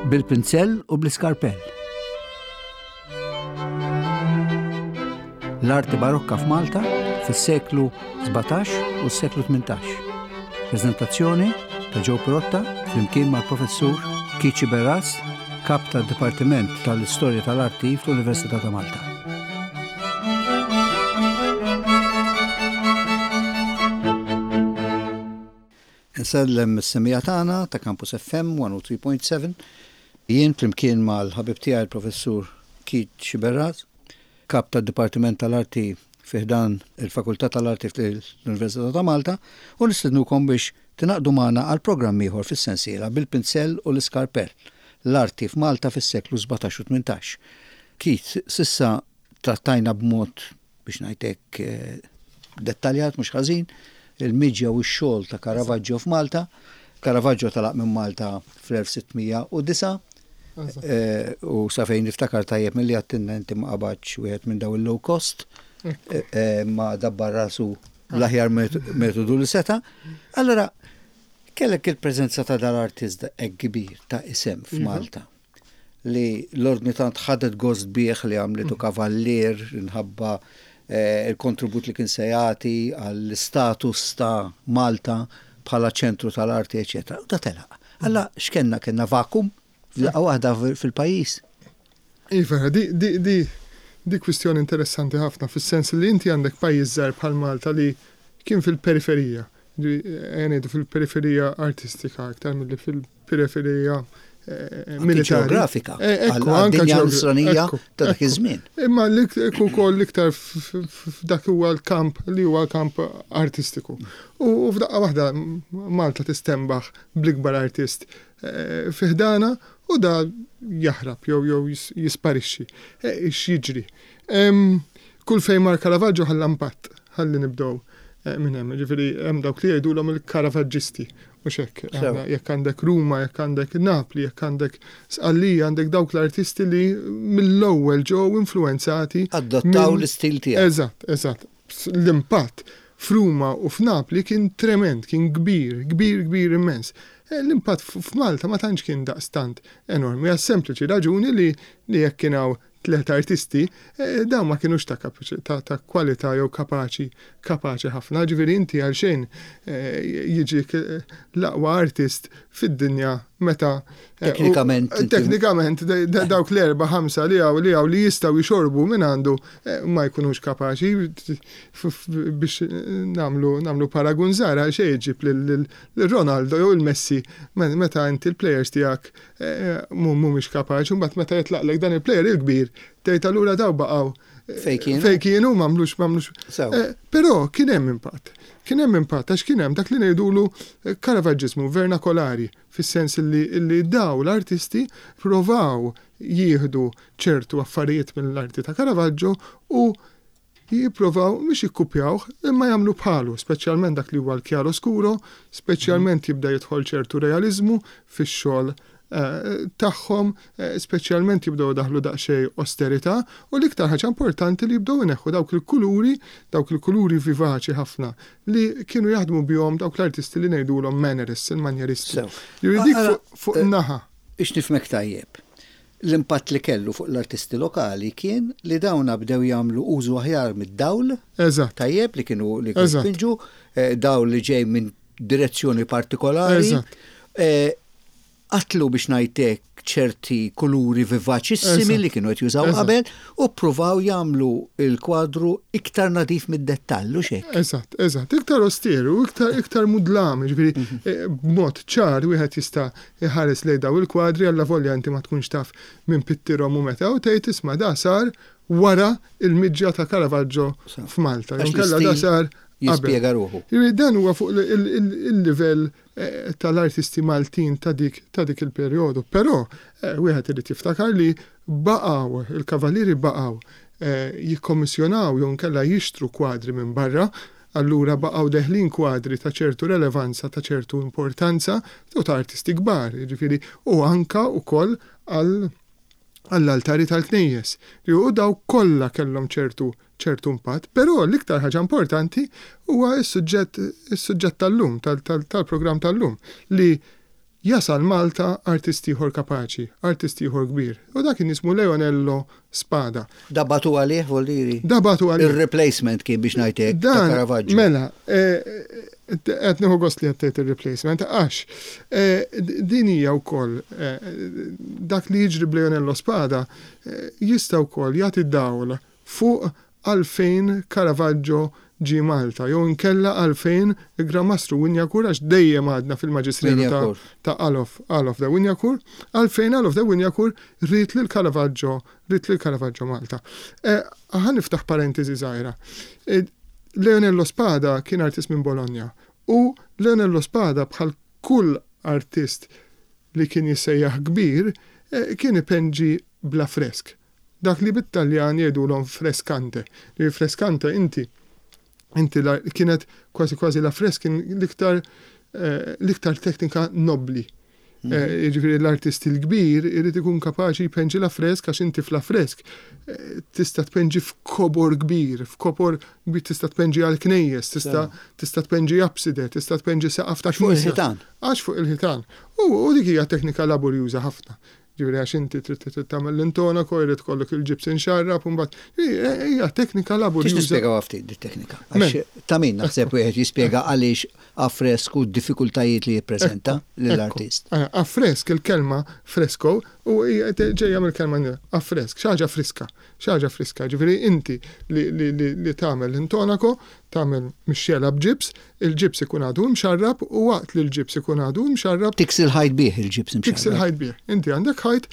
Bil-pinzell u bl-iskarpell. L-arti barokka f'Malta fis-seklu 17 u s-seklu 18. Prezentazzjoni ta' Joe Pirotta flimkien mal-professur Kici Berras, kap tad-Dipartiment tal-Istorja tal-Arti fl-Università ta' Malta. Insellem is-semmiegħa tagħna ta' Campus FM 103.7. Jien flimkien mal-ħabib tiegħi l-Professur Keith Sciberras, Kap tad-Dipartiment tal-Arti fi ħdan il-Fakultà tal-Arti fl-Università ta' Malta, u nistednukom biex tingħaqdu magħna għal programm ieħor fis-sensiela Bil-Pinzell u l-Iskarpell, L-Arti f'Malta fis-Seklu 17 u 18. Keith, s'issa trattajna b'mod, biex ngħid hekk, dettaljat mhux ħażin, il-miġja u x-xogħol ta' Caravaggio f'Malta. Caravaggio telaq minn Malta fl-1609 u sa fejn niftakar tajjeb milli għedtilna inti ma qabadx wieħed minn dawn il-low cost, ma dabbar rasu bl-aħjar metodu li seta'. Allora, kellek il-preżenza ta' dal-artist hekk kbir ta' isem f'Malta. li l-Ordni tant ħadet gost bih li għamlitu kavallier minħabba il-kontribut li kien se jagħti għall-istatus ta' Malta bħala ċentru tal-arti, eċetera. U da telaq. Alla x'kenna kellna vakum f'daqqa waħda fil-pajjiż. Iva, di, di, di, di kwistjoni interessanti ħafna fis-sens li inti għandek pajjiż żgħir bħal Malta li kien fil-periferija, ejja ngħidu fil-periferija artistika iktar milli fil periferija militari. Ġeografika. Ekku, anke nisranija ta' dak iż-żmien. Imma l-iktar ukoll l-iktar f'dak huwa l-kamp li huwa l-kamp artistiku. U f'daqqa waħda Malta tistembaħ bl-ikbar artist fi ħdana u da jaħrab jew jew jisparixxi. X'jiġri? Kull fejn mar Caravaggio ħalla impatt, ħalli nibdew minn hemm. Ġifieri hemm dawk li jgħidulhom il-Caravaggisti Mhux hekk, jekk għandek Ruma, jekk għandek Napli, jekk għandek Sqallija, għandek dawk l-artisti li mill-ewwel ġew influwenzati. Adottaw l-istil tiegħu. Eżatt, eżatt. L-impatt f'Ruma u f'Napli kien tremend, kien kbir, kbir, kbir immens. Eh, l-impatt f'Malta ma tantx kien daqstant enormi, għas sempliċi raġuni li jekk kien hawn tlett artisti, dawn ma kinux ta' ta' ta' kwalità jew kapaċi kapaċi ħafna. Ġifieri inti għalxejn jiġik l-aqwa artist fid-dinja meta Teknikament. Teknikament dawk l-erba' ħamsa li hawn li hawn li jistgħu jxorbu minn għandu ma jkunux kapaċi biex nagħmlu nagħmlu paragun żgħir għalxejn iġġib lil Ronaldo jew il-Messi meta inti l-plejers tiegħek mhumiex kapaċi, mbagħad meta jitlaqlek dan il-plejer il-kbir, tgħid allura daw baqgħu fejn kienu. Fejn kienu m'għamlux m'għamlux. Eh, però kien hemm impatt. Kien hemm impatt għax kien hemm dak li ngħidulu eh, karavaġġismu vernakolari, fis-sens li, li daw l-artisti provaw jieħdu ċertu affarijiet mill-arti ta' Caravaggio u jipprovaw mhux jikkupjawh imma jagħmlu bħalu, speċjalment dak li huwa l-chiaroscuro, speċjalment jibda jidħol ċertu realiżmu fix-xogħol tagħhom, speċjalment jibdew idaħħlu daqsxejn osterità u l-iktar ħaġa importanti li jibdew ineħħu dawk il-kuluri, dawk il-kuluri vivaċi ħafna li kienu jaħdmu bihom dawk l-artisti li ngħidulhom mannerists, il-manjeristi. Ġifieri dik fuq naħa. Biex nifhmek tajjeb, L-impatt li kellu fuq l-artisti lokali kien li dawna bdew jagħmlu użu aħjar mid-dawl. Eżatt. Tajjeb li kienu li kienu jpinġu, dawl li ġej minn direzzjoni partikolari. Eżatt. Qatlu biex ngħid hekk ċerti kuluri vivaċissimi li kienu qed jużaw qabel u ppruvaw jagħmlu l-kwadru iktar nadif mid-dettall, hux hekk? Eżatt, eżatt. Iktar osteru, iktar iktar mudlam, jiġifieri b'mod ċar wieħed jista' iħares lejn dawn il-kwadri allavolja inti ma tkunx taf min pittirhom u meta u tgħid isma' da sar wara l-miġja ta' Caravaggio f'Malta jew inkella da sar qabel. Jispjega ruħu. Jiġifieri dan huwa fuq il-livell tal-artisti Maltin ta' dik ta' dik il-perjodu. Però wieħed irid jiftakar li baqgħu, il-Kavallieri baqgħu jikkommissjonaw jew inkella jixtru kwadri minn barra Allura baqgħu deħlin kwadri ta' ċertu relevanza, ta' ċertu importanza u ta' artisti kbar, jiġifieri u anka wkoll għal għall-altari tal-knejjes. U dawk kollha kellhom ċertu ċertu impatt, però l-iktar ħaġa importanti huwa s-suġġett is-suġġett tal-lum, tal-programm tal-lum, li. Jasal Malta artist ieħor kapaċi, artist ieħor kbir, u dak kien jismu Leonello Spada. Da bagħtu għalih, Voldiri? Da bagħtu għalih. Ir-replacement kien biex ngħid hekk ta' Caravaggio. Mela, qed nieħu gost li qed tgħid ir-replacement għax din hija wkoll dak li jiġri b'Leonello Spada jista' wkoll jagħti dawl fuq għalfejn Caravaggio ġie Malta jew inkella għalfejn il-Gran Mastru Wignacourt, għax dejjem għadna fil-maġisteru ta' ta' Alof, Alof de Wignacourt, għalfejn Alof de Wignacourt ried lil Caravaggio, ried lil Caravaggio Malta. Ħa niftaħ parentesi żgħira. Leonello Spada kien artist minn Bologna u Leonello Spada bħal kull artist li kien jissejjaħ kbir kien ipenġi bl-affresk. Dak li bit-Taljan jgħidulhom frescante. Li frescante inti inti kienet kważi kważi la fresk kien l-iktar eh, l-iktar teknika nobbli. Mhm. Eh, jiġifieri l-artist il-kbir irid ikun kapaċi jpenġi la fresk għax inti fla fresk eh, tista' tpenġi f'kobor kbir, f'kobor kbir tista' tpenġi għal knejjes, tista' tista' tpenġi abside, tista' tpenġi saqaf ta' fuq il-ħitan. Għax fuq il-ħitan. U dik hija teknika laborjuża ħafna. Ġifieri għax inti trid trid tagħmel l-intonaco, jrid ikollok il-ġibs inxarrab u mbagħad hija teknika laborjuża. Tista' tispjega ftit dit-teknika? Għax ta' min naħseb wieħed jispjega għaliex affresk u d-diffikultajiet li jippreżenta lill-artist. Affresk, il-kelma fresco u ġejja mill-kelma affresk, xi ħaġa friska, xi ħaġa friska. Ġifieri inti li tagħmel l-intonaco, tagħmel mixxela b'ġibs, il-ġibs ikun għadu imxarrab u waqt li l-ġibs ikun għadu imxarrab. Tiksi l-ħajt bih il-ġibs imxarrab. Tiksi l-ħajt bih. Inti għandek ħajt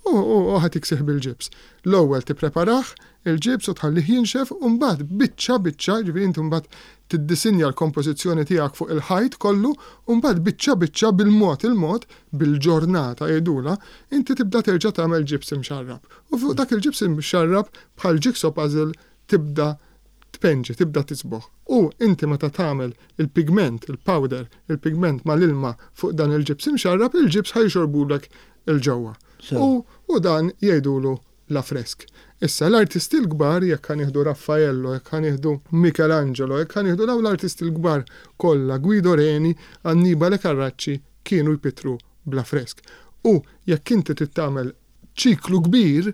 u ħa tiksih bil-ġibs. L-ewwel tippreparah il-ġibs u tħallih jinxef u mbagħad biċċa biċċa, jiġifieri inti mbagħad tiddisinja l-kompożizzjoni tiegħek fuq il-ħajt kollu u mbagħad biċċa biċċa bil-mod il-mod, bil-ġornata jgħidulha, inti tibda terġa' tagħmel ġibs imxarrab. U fuq dak il-ġibs imxarrab bħal jigsaw puzzle tibda tpenġi, tibda tisbogħ. U inti meta tagħmel il-pigment, il-powder, il-pigment mal-ilma fuq dan il-ġibs imxarrab, il-ġibs ħa jixorbulek 'il ġewwa. U u dan jgħidulu l-affresk. Issa, l-artisti l-kbar, jekk ħa nieħdu Raffaello, jekk ħa nieħdu Michelangelo, jekk ħa nieħdu dawn l-artisti l-kbar kollha, Guido Reni, Annibale Carracci, kienu jpittru bl-affresk. U jekk inti trid tagħmel ċiklu kbir,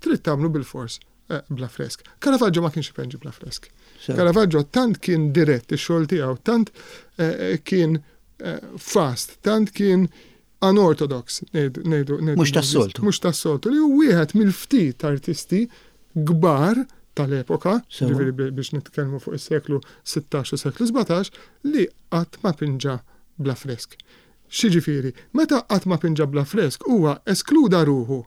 trid tagħmlu bilfors bla fresk. Caravaggio ma kienx ipenġi bla fresk. Caravaggio tant kien dirett ix-xogħol tiegħu, tant eh, kien eh, fast, tant kien unorthodox, ngħidu. Mhux tas-soltu. Mhux tas-soltu li hu wieħed mill-ftit artisti kbar tal-epoka, ġifieri biex nitkellmu fuq is-seklu 16 u seklu 17, li qatt ma pinġa bla fresk. X'jiġifieri, meta qatt ma pinġa bla fresk huwa eskluda ruħu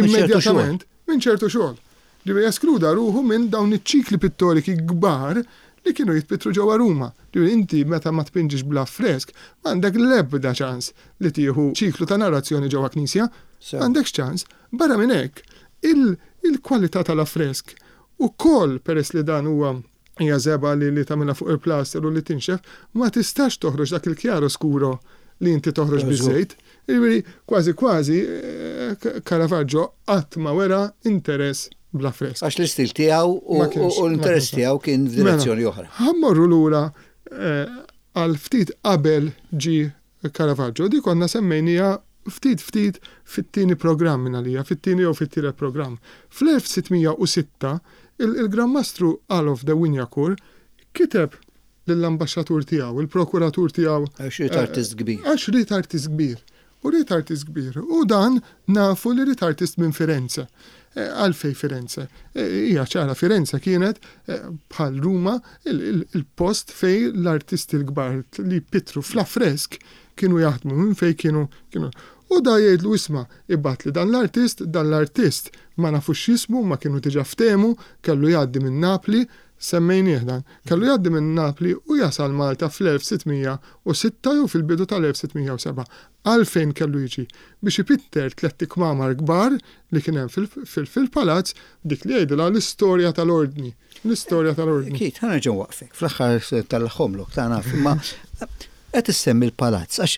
immedjatament minn ċertu xogħol. Ġifieri eskluda ruħu minn dawn iċ-ċikli pittoriki kbar li kienu jitpittru ġewwa Ruma. Ġifieri inti meta ma tpinġix bl-affresk m'għandek l-ebda ċans li tieħu ċiklu ta' narrazzjoni ġewwa knisja. M'għandekx ċans. Barra minn hekk, il-kwalità tal-affresk ukoll peress li dan huwa hija żebgħa li li tagħmilha fuq il-plaster u li tinxef, ma tistax toħroġ dak il-chiaroscuro li inti toħroġ biż-żejt. Jiġifieri kważi kważi Caravaggio qatt ma wera interess bl-affresk. Għax l-istil tiegħu u l-interess tiegħu kien f'direzzjoni oħra. Mela, ħa mmorru lura għal ftit qabel ġie Caravaggio. Di konna semmejniha ftit ftit fit-tieni programm minn għalija, fit-tieni jew fit-tielet programm. Fl-1606 il-Gran Mastru Alof de Wignacourt kiteb lill-ambaxxatur tiegħu, il-prokuratur tiegħu. Għax ried artist kbir. Għax ried artist kbir. U ried artist kbir. U dan nafu li ried artist minn Firenze. Għalfejn Firenze? Hija ċara Firenze kienet bħal Ruma il-post fejn l-artisti l-kbar li jpittru fl-affresk kienu jaħdmu minn fejn kienu kienu. U da jgħidlu isma' ibgħatli dan l-artist, dan l-artist ma nafux x'jismu ma kienu diġà ftehmu, kellu jgħaddi minn Napli, semmejnieh dan, kellu jgħaddi minn Napli u jasal Malta fl-1606 jew fil-bidu tal-1607. Għalfejn kellu jiġi? Biex ipitter tlett ikmamar kbar li kien hemm fil-palazz, dik li jgħidilha l-istorja tal-Ordni. L-istorja tal-Ordni. Keith, ħa nerġa' nwaqqfek fl-aħħar tal-ħomlok tagħna, imma qed issemmi l-palazz għax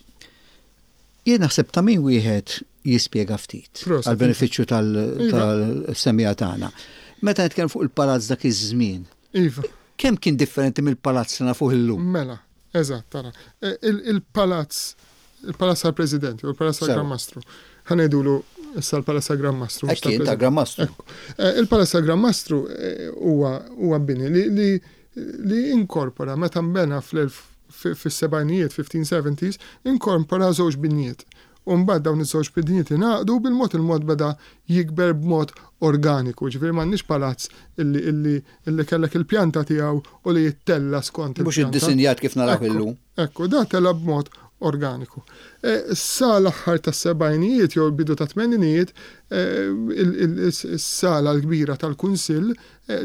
jien naħseb ta' min wieħed jispjega ftit għall-benefiċċju tal-semmiegħa tagħna. Meta nitkellmu fuq il-palazz dak iż-żmien. Iva. Kemm kien differenti mill-palazz li nafuh illum? Mela, Eżatt, ara. Il-palazz Il-Palazz tal-President, jew il-Palazz tal-Gran Mastru. Ħa ngħidulu issa l-Palazz tal-Gran Mastru. Hekk kien tal-Gran Mastru. Il-Palazz tal-Gran Mastru huwa bini li li inkorpora meta nbena fis-sebgħinijiet, 1570s, inkorpora żewġ binjiet. U mbagħad dawn iż-żewġ binjiet ingħaqdu u bil-mod il-mod beda jikber b'mod organiku. Ġifieri m'għandniex palazz illi illi illi kellek il-pjanta tiegħu u li jittella' skont il-pjanta. Mhux iddisinjat kif narawh illum. Ekku, da tela' b'mod organiku. Sa l-aħħar tas-sebgħinijiet jew il-bidu tat-tmeninijiet, is-sala l-kbira tal-Kunsill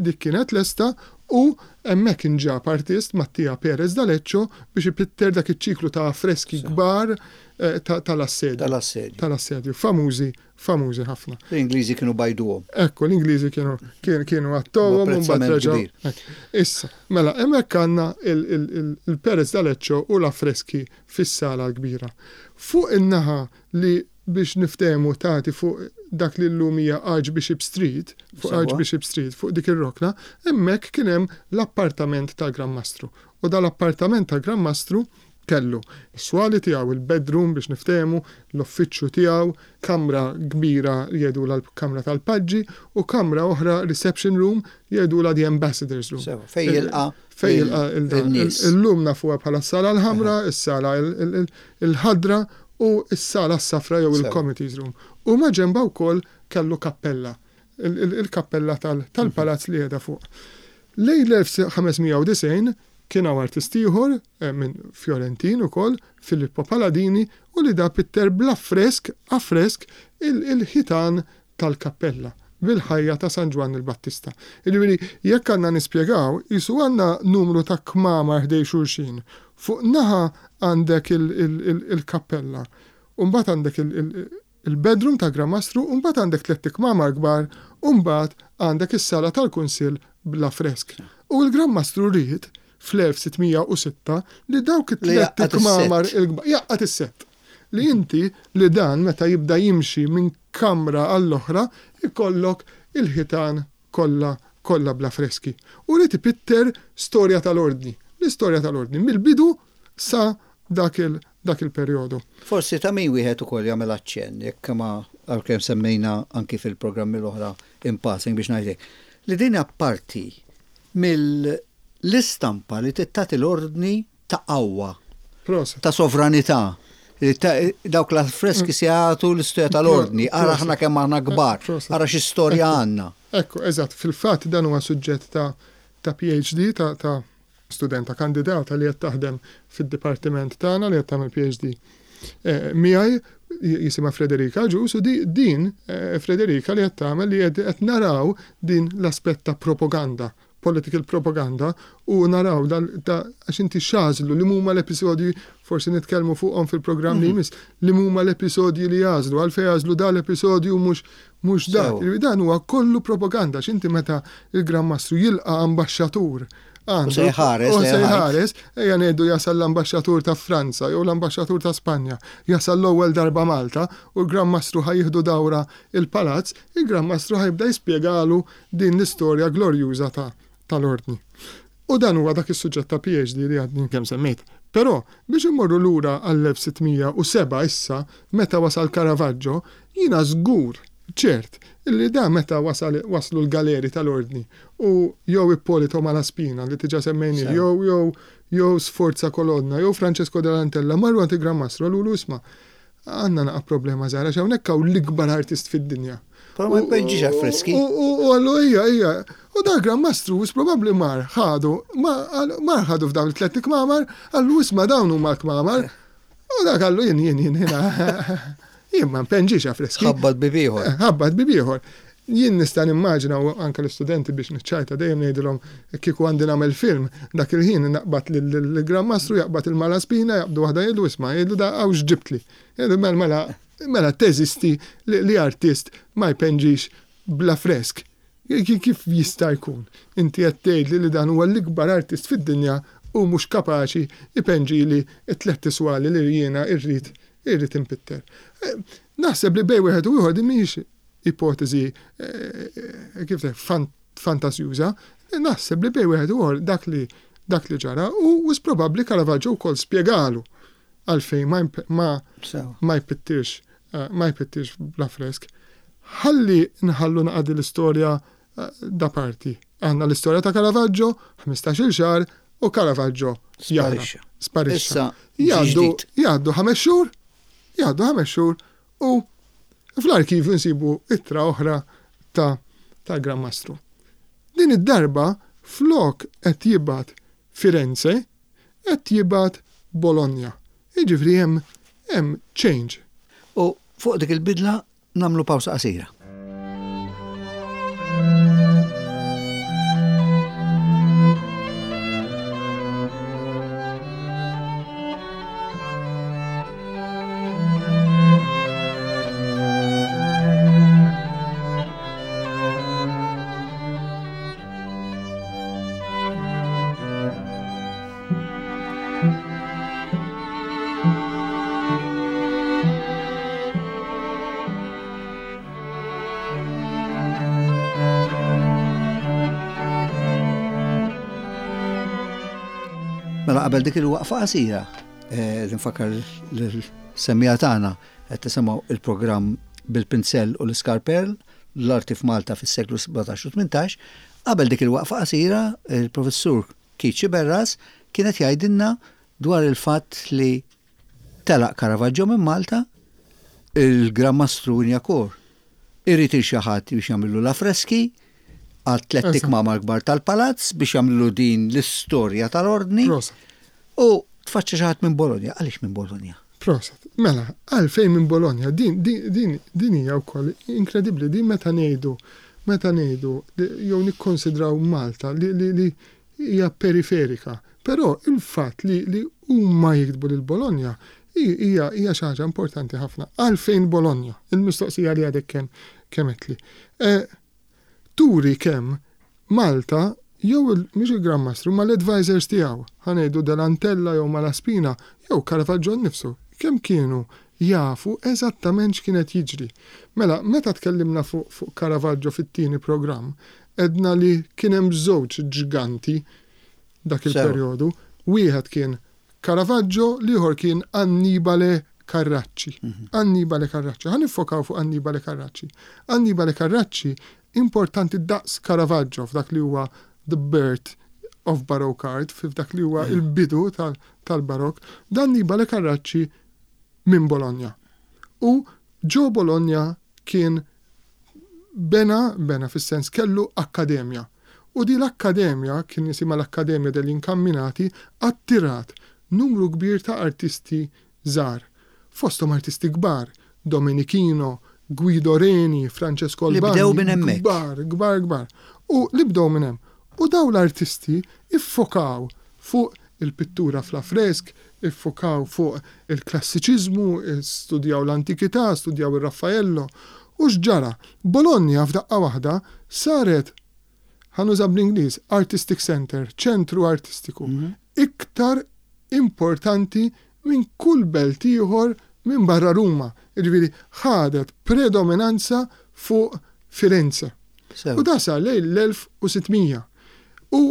dik kienet lesta u hemmhekk inġab artist, Mattia Perez d'Aleccio, biex ipitter dak iċ-ċiklu ta' affreski kbar tal-assedju. Tal-assedju. Tal-assedju, famużi famużi ħafna. L-Ingliżi kienu bajduhom. Ekku, l-Ingliżi kienu kienu għattowhom u mbagħad reġgħu. Issa, mela hemmhekk għandna il-Perez d'Aleccio u l-affreski fis-sala l-kbira. Fuq in-naħa li biex niftehmu tagħti fuq dak li llum hija Archbishop Street, fuq Archbishop Street, fuq dik ir-rokna, hemmhekk kien hemm l-appartament tal-Gran Mastru. U dal-appartament tal-Gran Mastru Kellu s-swali tiegħu, il-bedroom biex niftehmu, l-uffiċċju tiegħu, kamra kbira li jgħidulha l-kamra tal-paġġi u kamra oħra reception room jgħidulha the ambassador's room. Sewa, fejn jilqa' Fejn jilqa' il-nies. Illum nafuha bħala s-sala l-ħamra, is-sala l-ħadra u s-sala s-safra jew il-committees room. U maġenbha wkoll kellu kappella, il-kappella tal-palazz li qiegħda fuq. Lejn l-1590 kien hawn artist ieħor minn Fjorentin ukoll, Filippo Paladini, u li da pitter bl-affresk, affresk, il-ħitan tal-kappella bil-ħajja ta' San Ġwann il-Battista. Jiġifieri jekk għandna nispjegaw, qisu għandna numru ta' kmamar ħdejn xulxin. Fuq naħa għandek il-kappella, u mbagħad għandek il-bedroom tal-Gran Mastru u mbagħad għandek tlett ikmamar kbar u mbagħad għandek is-sala tal-kunsill bl-affresk. U l-Gran Mastru ried, fl-1606, li dawk it-tlett ikmamar il-kbar, jgħaqqad is-sett. Li inti, li dan meta jibda jimxi minn kamra għall-oħra, ikollok il-ħitan kollha kollha bl-affreski. U ried ipitter storja tal-Ordni, l-istorja tal-Ordni mill-bidu sa dak il dak il-perjodu. Forsi ta' min wieħed ukoll jagħmel aċċenn, jekk ma għalkemm semmejna anki fil-programmi l-oħra in passing biex ngħid hekk, li din hija parti mill-istampa li trid tagħti l-Ordni ta' qawwa, ta' sovranità. Dawk l-affreski se jagħtu l-istorja tal-Ordni, ara aħna kemm aħna kbar, ara xi storja għandna. Ekku, eżatt, fil-fatt dan huwa suġġett ta' ta' PhD ta' ta' studenta kandidata li qed taħdem fid-dipartiment tagħna li qed tagħmel PhD miegħi jisimha Frederika Agius u din Frederika li qed tagħmel li qed naraw din l-aspett ta' propaganda political propaganda u naraw da għax inti x'għażlu li huma l-episodji forsi nitkellmu fuqhom fil-programm li jmiss li huma l-episodji li għażlu għalfejn għażlu da l-episodju mhux mhux dak. Dan huwa kollu propaganda għax inti meta il-Gran Mastru jilqa' ambaxxatur għandu. U se jħares. U se jħares, ejja ngħidu jasal l-ambaxxatur ta' Franza jew l-ambaxxatur ta' Spanja, jasal l-ewwel darba Malta u l-Gran Mastru ħa jieħdu dawra il-palazz, il-Gran Mastru ħa jibda jispjegalu din l-istorja glorjuża ta' tal-Ordni. U dan huwa dak is-suġġett ta' PhD li għadni kemm semmejt. Però, biex immorru lura għall-1607 issa, meta wasal Caravaggio, jiena żgur, ċert, li da meta wasal waslu l-galeri tal-Ordni u jew Ippolito Malaspina li diġà semmejnih jew jew jew Sforza Colonna jew Francesco dell'Antella marru għand il-Gran Mastru qalulu isma' Għandna naqa' problema żgħira għax hawnhekk hawn l-ikbar artist fid-dinja. Però ma jpinġix affreski. U għallu ejja, ejja. U dak Gran Mastru wis probabbli mar ħadu, mar ħadu f'dawn it-tliet kmamar, għallu isma' dawn huma l-kmamar. U dak għallu jien jien jien jien ma npenġix affreski. Ħabbat bib ieħor. Eh, ħabbat bib ieħor. Jien nista' nimmaġina u anke l-istudenti biex niċċajta dejjem ngħidilhom kieku għandi nagħmel film dak il-ħin naqbad lill-Gran Mastru jaqbad il-Malaspina jaqbdu waħda jgħidlu isma' jgħidlu da hawn x'ġibtli. Jgħidu mela mela mela teżisti li artist ma jpenġix bl-affresk. Kif jista' jkun? Inti qed tgħidli li dan huwa l-ikbar artist fid-dinja u mhux kapaċi jpenġili t-tlett iswali li jiena rrid irrid inpitter. Naħseb li bejn wieħed u ieħor din mhijiex ipoteżi kif fantasjuża, naħseb li bejn wieħed u ieħor dak li dak li ġara u wis probabbli Caravaggio wkoll spjegalu. għalfejn ma ma ma jpittirx eh, ma jpittirx bl-affresk. Ħalli nħallu naqadi l-istorja eh, da parti. Għandna l-istorja ta' Caravaggio, 15-il xahar u Caravaggio sparixxa. Sparixxa. Jgħaddu jgħaddu ħames xhur, jgħaddu ħames xhur u fl-arkivju nsibu ittra oħra ta' tal-Gran Mastru. Din id-darba flok qed jibgħat Firenze, qed jibgħat Bologna. Jiġifieri hemm hemm change. U fuq dik il-bidla nagħmlu pawsa qasira. Mela qabel dik il-waqfa qasira, eh, nfakkar l-semmija tagħna qed tisimgħu il-programm bil-pinzell u l-iskarperl l-arti f'Malta fis-seklu 17 u 18, qabel dik il-waqfa qasira, il-Professur Keith Sciberras kien qed jgħidilna dwar il-fatt li telaq Caravaggio minn Malta, il-Gran Mastru Wignacourt irid il xi ħadd biex jagħmillu l-affreski għat-tlett ikmamar kbar tal-palazz biex jagħmillu din l-istorja tal-ordni. U tfaċċa xi ħadd minn Bologna. Għaliex minn Bologna? Proset. Mela, għalfejn minn Bologna? Din, din, din, din hija wkoll inkredibbli. Din meta ngħidu, meta ngħidu jew nikkonsidraw Malta li, li, li hija periferika. Però il-fatt li, li huma jiktbu lil Bologna hija, hija xi ħaġa importanti ħafna. Għalfejn Bologna? Il-mistoqsija li għadek kemm kemm għedtli. Eh, turi kemm Malta jew mhux il-Gran Mastru imma l-advisors tiegħu, ħa ngħidu Delantella jew Malaspina jew Caravaggio nnifsu, kemm kienu jafu eżattament x'kien qed jiġri. Mela, meta tkellimna fuq fuq Caravaggio fit-tieni programm, għedna li kien hemm żewġ ġganti dak il-perjodu. Wieħed kien Caravaggio, l-ieħor kien Annibale Carracci. Annibale Carracci. Ħa niffokaw fuq Annibale Carracci. Annibale Carracci importanti daqs Caravaggio f'dak li huwa the birth of Baroque art, f'dak li huwa il-bidu tal-Barok. Dan Annibale Carracci minn Bologna. U ġo Bologna kien bena, bena fis-sens kellu akkademja. U din l-akkademja, kien jisimha l-Accademia degli Incamminati, attirat numru kbir ta' artisti żgħar. Fosthom artisti kbar, Domenichino, Guido Reni, Francesco Albani. Li bdew minn hemmhekk. Kbar, kbar, kbar. U li bdew minn hemm. U dawn l-artisti ffokaw fuq il-pittura fl-affresk, iffukaw fuq il-klassiċiżmu, studjaw l-antikità, studjaw ir-Raffaello. U x'ġara? Bologna f'daqqa waħda saret, ħa nuża bl-Ingliż, artistic centre, ċentru artistiku, iktar importanti minn kull belt ieħor minn barra Ruma. Jiġifieri ħadet predominanza fuq Firenze. U da sar lejn l-1600. U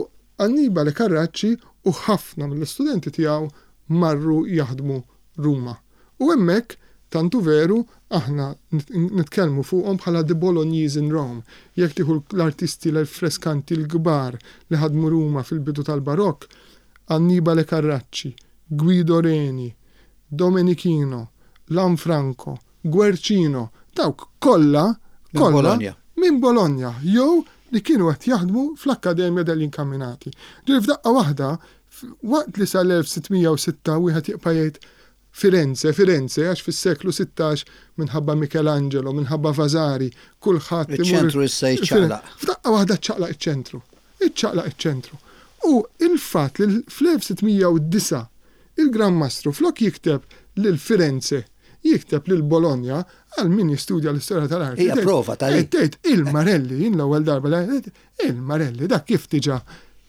Annibale Carracci u ħafna mill-istudenti tiegħu marru jaħdmu Ruma. U hemmhekk, tant hu veru, aħna nitkellmu fuqhom bħala the Bolognese in Rome. Jekk tieħu l-artisti l-freskanti l-kbar li ħadmu Ruma fil-bidu tal-Barokk, Annibale Carracci, Guido Reni, Domenichino, Lanfranco, Guercino, dawk kollha, kollha minn Bologna jew li kienu qed jaħdmu fl-Accademia degli Incamminati. Ġifieri f'daqqa waħda, waqt li sal-1606 wieħed jibqa' jgħid Firenze, Firenze, għax fis-seklu 16 minħabba Michelangelo, minħabba Vasari, kulħadd Iċ-ċentru issa jiċċaqlaq. F'daqqa waħda ċċaqlaq iċ-ċentru. Iċċaqlaq iċ-ċentru. U il-fatt li fl-1609 il-Gran Mastru flok jikteb lil Firenze jikteb lil Bologna għal min jistudja l-istorja tal-arti. Hija prova tal Tgħid il-Marelli, jien l-ewwel darba il-Marelli dak kif diġà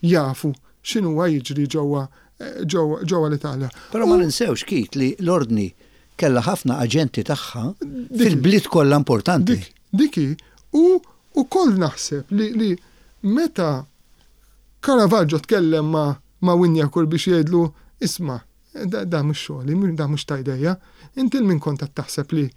jafu x'inhuwa jiġri ġewwa ġewwa l-Italja. Però ma ninsewx Keith li l-Ordni kellha ħafna aġenti tagħha fil-bliet kollha importanti. Dik hi, u wkoll naħseb li meta Caravaggio tkellem ma' Wignacourt biex jgħidlu isma' Da mhux xogħli, da mhux ta' idejja. Inti 'l min kont qed taħseb li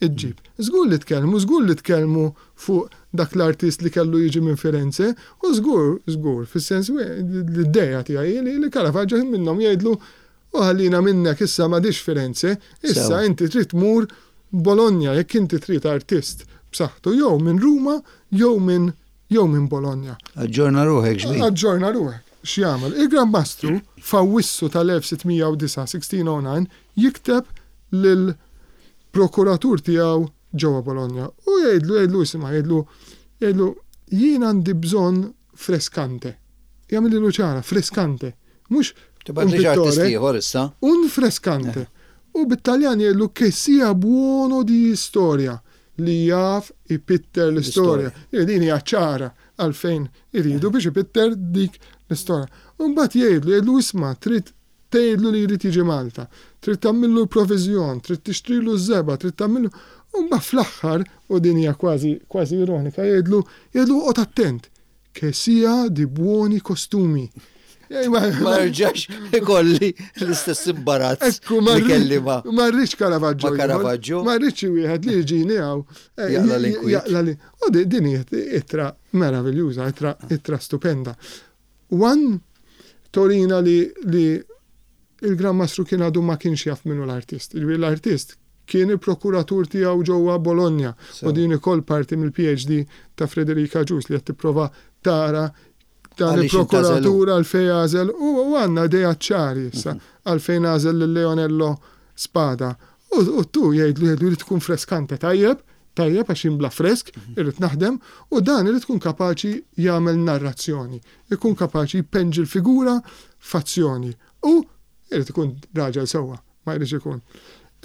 ġġib. Żgur li tkellmu, żgur li tkellmu fuq dak l-artist li kellu jiġi minn Firenze, u żgur, żgur, fis-sens l-idea tiegħi li Caravaggio ħin minnhom jgħidlu u ħallina minnek issa m'għadix Firenze, issa inti trid tmur Bologna jekk inti trid artist b'saħħtu jew minn Ruma jew minn jew minn Bologna. Aġġorna ruħek xbin. Aġġorna ruħek. X'jagħmel? Il-Gran Mastru f'Awwissu tal-1609, 1609, jikteb lil prokuratur tiegħu ġewwa Bologna u jgħidlu, jgħidlu isma' jgħidlu, jgħidlu jien għandi bżonn freskante. Jagħmilhielu ċara, freskante. Mhux un pittore. ieħor issa. Un freskante. U bit-Taljan jgħidlu che sia buono di storia li jaf ipitter l-istorja. Din hija ċara għalfejn iridu biex ipitter dik l-istorja. U mbagħad jgħidlu, jgħidlu isma' trid tgħidlu li jrid jiġi Malta, trid tagħmillu l-proviżjon, trid tixtrilu ż-żebgħa, trid tagħmillu. U mbagħad fl-aħħar, u din hija kważi kważi ironika, jgħidlu jgħidlu oqgħod attent, che sia di buoni costumi. Ma rġax ikolli l-istess imbarazz. Ekku, ma kelli ma. Ma rridx Caravaggio. Ma Caravaggio. Ma rridx wieħed li jiġini hawn. Eh, jaqla l-inkwiet. U din hija ittra meraviljuża, ittra ittra stupenda. One torina li li il-Gran Mastru kien għadu ma kienx jaf minnu l-artist. L-artist kien il-prokuratur tiegħu ġewwa Bologna u din ukoll parti mill-PhD ta' Frederica Agius li qed tipprova tara dan il-prokuratur għalfejn għażel u għandna idea ċari issa mhm. għalfejn għażel lil Leonello Spada. U tu jgħidlu jgħidlu li tkun freskante tajjeb, tajjeb għax jimbla fresk, mhm. irrid naħdem, u dan irid tkun kapaċi jagħmel narrazzjoni, ikun kapaċi jpenġi l-figura f'azzjoni u irid ikun raġel sewwa. Ma jridx ikun.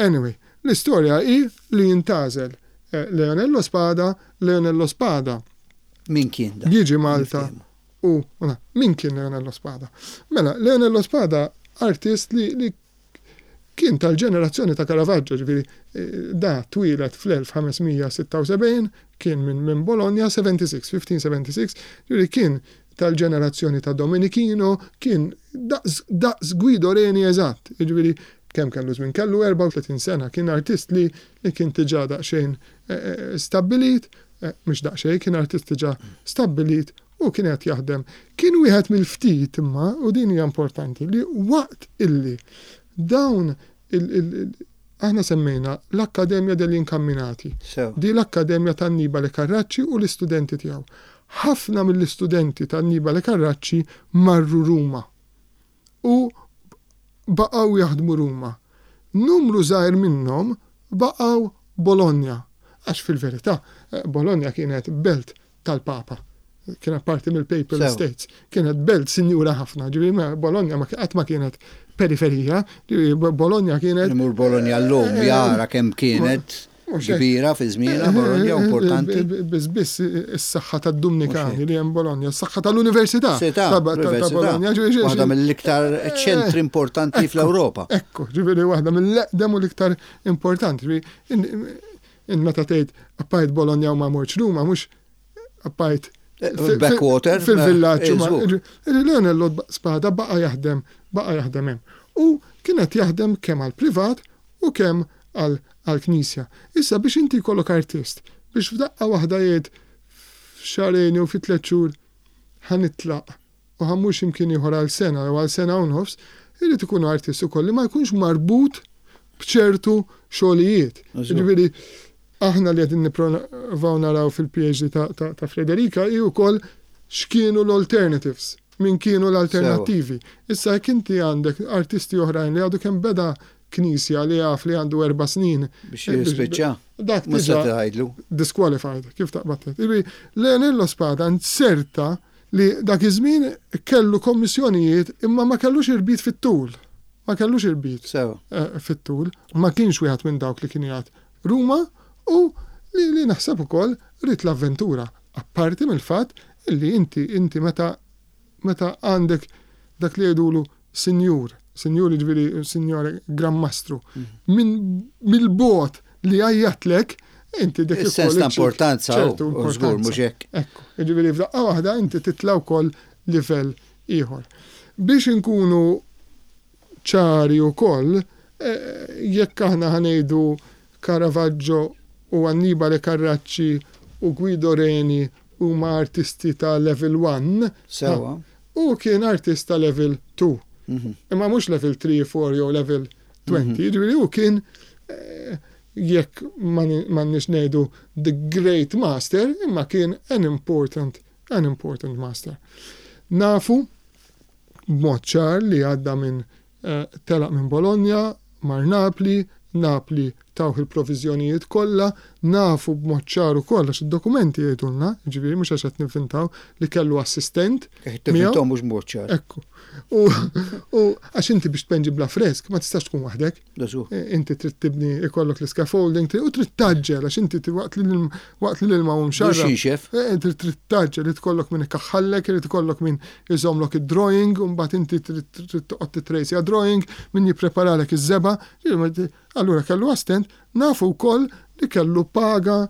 Anyway, l-istorja hi li jintgħażel eh, Leonello Spada, Leonello Spada. Min kien da? Jiġi Malta u min kien Leonello Spada? Mela, Leonello Spada artist li, li kien tal-ġenerazzjoni ta' Caravaggio, ġifieri eh, da twieled fl-1576, kien minn min Bologna 76, 1576, ġifieri kien tal-ġenerazzjoni ta' Domenichino kien daqs daqs Guido Reni eżatt, jiġifieri kemm kellu żmien? Kellu 34 sena, kien artist li li kien diġà daqsxejn stabbilit, mhux daqsxejn, kien artist diġà stabbilit u kien qed jaħdem. Kien wieħed mill-ftit imma, u din hija importanti, li waqt illi dawn il Aħna semmejna l-Accademia degli Incamminati. Di l-Akkademja ta' Annibale Carracci u l-istudenti tiegħu. Ħafna mill-istudenti ta' Annibale Carracci marru Ruma u baqgħu jaħdmu Ruma. Numru żgħir minnhom baqgħu Bologna, għax fil-verità Bologna kienet belt tal-Papa. Kienet parti mill-Papal States. Kienet belt sinjura ħafna, ġifieri Bologna ma qatt ma kienet periferija, ġifieri Bologna kienet. Imur Bologna llum eh, jara kemm kienet kbira fi żmienha Bologna eh, importanti. Biss biss is-saħħa tad-Dumnikani li hemm Bologna, is-saħħa tal-Università ta' Bologna. Waħda mill-iktar eh, ċentri importanti fl-Ewropa. Ekku, ġifieri waħda mill-eqdem u l-iktar importanti. Int meta tgħid appajt Bologna u ma mortx Ruma mhux appajt eh, backwater fil-villaġġ. Eh, Leonello Spada baqa' jaħdem baqa' jaħdem hemm. U kien qed jaħdem kemm għall-privat u kemm għall-knisja. Issa biex inti jkollok artist biex f'daqqa waħda jgħid f'xahrejn jew fi tliet xhur ħa nitlaq u ħa mmur xi mkien ieħor għal sena jew għal sena u nofs, irid ikun artist ukoll li ma jkunx marbut b'ċertu xogħlijiet. Jiġifieri aħna li qegħdin nipprovaw naraw fil-PhD ta' Frederica hi wkoll x'kienu l-alternatives, min kienu l-alternattivi. Issa jekk inti għandek artisti oħrajn li għadu kemm beda knisja li jaf li għandu erba' snin. Biex jispiċċa. Dak diġà disqualified, kif taqbad tgħid. Leonello Spada nzerta li dak iż-żmien kellu kommissjonijiet imma ma kellux irbit fit-tul. Ma kellux irbit eh, fit-tul. Ma kienx wieħed minn dawk li kien jgħid Ruma u li, li naħseb ukoll ried l-avventura. Apparti mill-fatt li inti inti meta meta għandek dak li jgħidulu sinjur, sinjur jiġifieri sinjore Gran Mastru, mhm. minn mill-bogħod li għajjatlek, inti dik Is-sens ta' importanza, ċertu, żgur mhux hekk. Ekku, jiġifieri f'daqqa waħda inti titla' wkoll livell ieħor. Biex inkunu ċari wkoll, jekk aħna ħa ngħidu Caravaggio u Annibale Carracci u Guido Reni huma artisti ta' level one, Sewwa. hu kien artist ta' level two. Imma mhux level three, four jew level 20. Jiġifieri hu kien jekk m'għandniex ngħidu the great master, imma kien an important, an important master. Nafu b'mod ċar li għadda minn telaq minn Bologna, mar Napli, Napli tawh il-proviżjonijiet kollha, nafu b'mod ċar ukoll għax id-dokumenti jgħidulna, jiġifieri mhux għax qed nivvintaw, li kellu assistent. Qed tivvintaw mhux b'mod ċar. Ekku. U għax inti biex tpenġi bla fresk ma tistax tkun waħdek. Inti trid tibni ikollok l-scaffolding u trid taġġel għax inti waqt li waqt li l-ilma hu mxarrab. Inti trid taġġel, irid ikollok min ikaħħallek, irid ikollok min iżommlok id-drawing u mbagħad inti trid toqgħod titrejsja drawing, min jippreparalek iż-żebgħa. Allura kellu assistent, nafu wkoll li kellu paga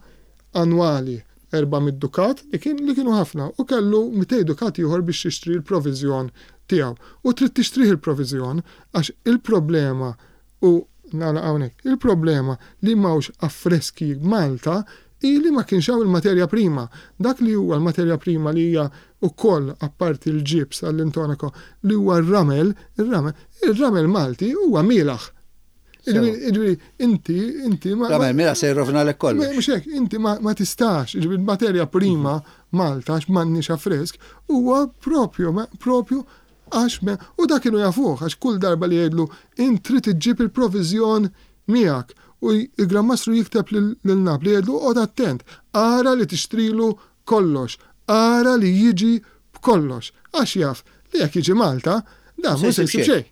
annwali 400 dukat li kien li kienu ħafna u kellu 200 dukat ieħor biex jixtri l-proviżjon tiegħu. U trid tixtrih il-proviżjon għax il-problema u nagħlaq hawnhekk, il-problema li m'hawnx affreski Malta hi li ma kienx hawn il-materja prima. Dak li huwa l-materja prima li hija wkoll apparti l-ġibs għall-intonaco li huwa r-ramel, ir-ramel, ir-ramel Malti huwa mielaħ. Jiġifieri inti inti ma. Ramel mielaħ se jirrovinalek kollox. Mhux hekk, inti ma tistax, jiġifieri l-materja prima Malta għax m'għandniex affresk huwa propju propju għax u dak kienu jafuh għax kull darba li jgħidlu int trid iġġib il-proviżjon miegħek u l-Gran Mastru jikteb lil Napli jgħidlu oqgħod attent, ara li tixtrilu kollox, ara li jiġi b'kollox għax jaf li jekk jiġi Malta dan mhu se jsib xejn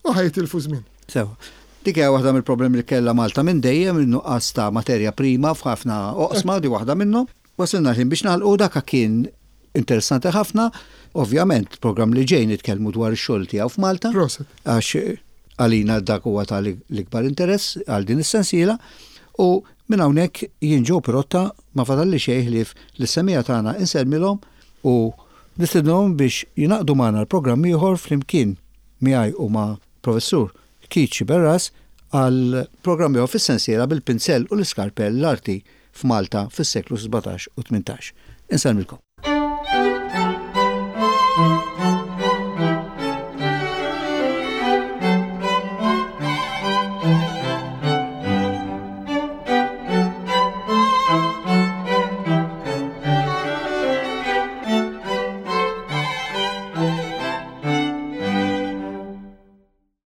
u ħa jitilfu żmien. Sewa. Dik hija waħda mill-problemi li kellha Malta minn dejjem, in-nuqqas ta' materja prima f'ħafna oqsma, di waħda minnhom. Wasilna l-ħin biex nagħlqu, dak kien interessanti ħafna. Ovvjament, programm li ġej nitkellmu dwar ix-xogħol tiegħu f'Malta. Proset. Għax għalina dak huwa ta' l-ikbar interess għal din is-sensiela. U minn hawnhekk jien Joe Pirotta ma fadalli xejn ħlief lis-semmiegħa tagħna insellmilhom u nistednuhom biex jingħaqdu magħna l-programm ieħor flimkien miegħi u ma' Professur Keith Sciberras għal programm ieħor fis-sensiela bil-pinzell u l-iskarpell l-arti f'Malta fis-seklu 17 u 18. Insellmilkom.